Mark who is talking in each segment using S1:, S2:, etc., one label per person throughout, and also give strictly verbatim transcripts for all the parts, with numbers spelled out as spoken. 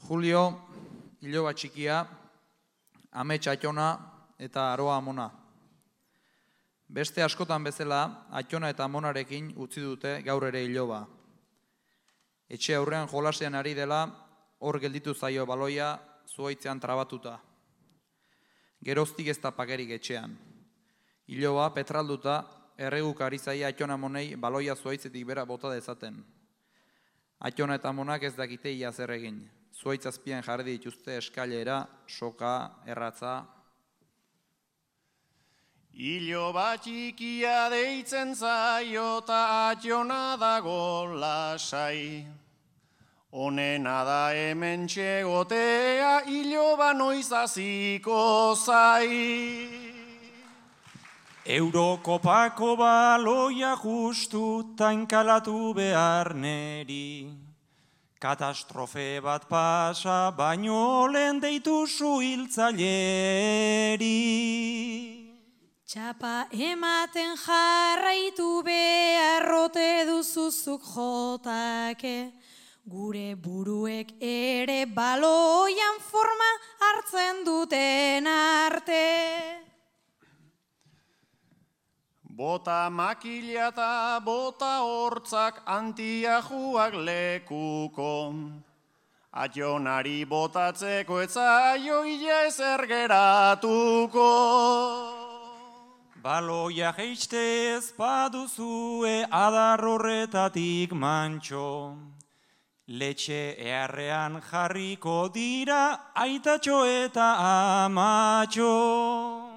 S1: Julio, iloba txikia, amets atxona eta aroa amona. Beste askotan bezala, atxona eta amonarekin utzi dute gaur ere iloba. Etxe aurrean jolasean ari dela, hor gelditu zaio baloia zuhaitzean trabatuta. Geroztik ez da pakerik etxean. Iloba petralduta, erreguk ari zaia atxona amonei baloia zuhaitzetik bera bota dezaten. Atxona eta amonak ez dakite ia zer egin. Zuhaitz azpian jarri dituzte eskailera, soka, erratza.
S2: Iloba txikia deitzen zaio ta atxona dago lasai. Honena da hemen txegotea, iloba noiz aziko zai.
S3: Eurokopako baloia justu tainkalatu behar neri. Katastrofe bat pasa, baino lehen deitu zuhiltzaileri.
S4: Txapa ematen jarraitu beharrote duzuzuk jotake, gure buruek ere baloian forma hartzen duten arte.
S2: Bota makila eta bota hortzak antiajuak lekuko. Atxonari botatzeko etzaio ila ezer geratuko.
S3: Baloia jeistez baduzue adar horretatik mantxo. Letxe eharrean jarriko dira aitatxo eta amatxo.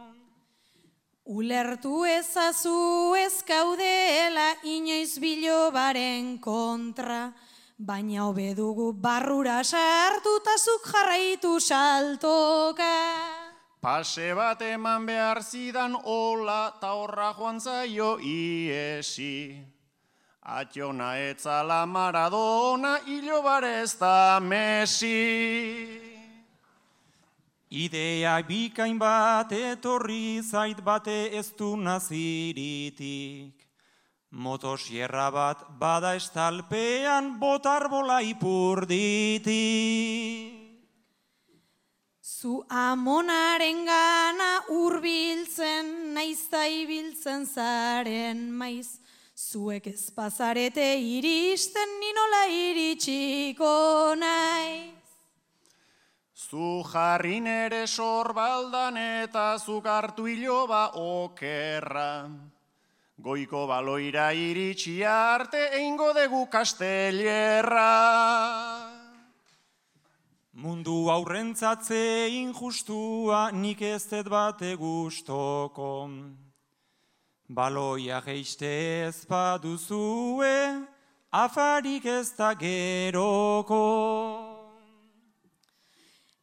S4: Ulertu ezazu ez gaudela inoiz bilobaren kontra, baina hobe dugu barrura sartutazuk jarraitu saltoka.
S2: Pase bat eman behar zidan hola ta horra joan zaio iesi. Atxona etzala Maradona, ilobare ez da Messi.
S3: Idea bikain bat etorri zait bate ez du naziritik. Motosierra bat bada estalpean botarbola ipurditik.
S4: Zu amonaren gana urbiltzen, naizta ibiltzen zaren maiz. Zuek ez pasarete iristen, ninola iritsiko naiz.
S2: Zu jarri nere sorbaldan eta zuk hartu iloba okerra. Goiko baloira iritsi arte eingo dugu kastellerra.
S3: Mundu aurrentzatze injustua nik ez dut bate gustoko. Baloia jeiste ez baduzue, afarik ez da geroko.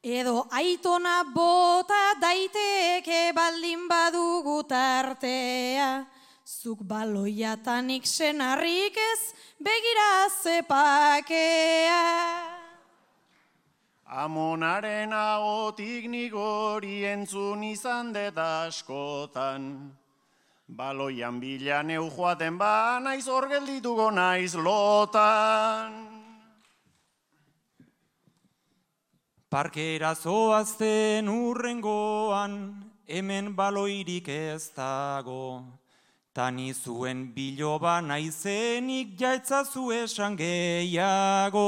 S4: Edo aitona bota daiteke baldin badugu tartea, zuk baloiatanik senarrik ez begira zepakea.
S2: Amonaren ahotik nik hori entzun izan dut askotan. Baloian bila neu joaten ba naiz hor geldituko naiz lotan.
S3: Parkera zoazten urrengoan, hemen baloirik ez dago. Tani zuen biloba naizenik jaetzazu esan gehiago.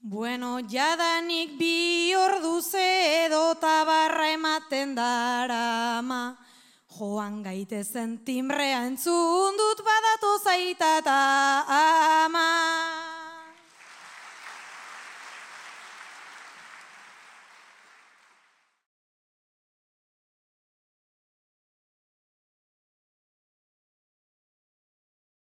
S4: Bueno, jadanik bi orduz edo tabarra ematen darama. Joan gaitezen timbrea entzun dut badatu zaitata.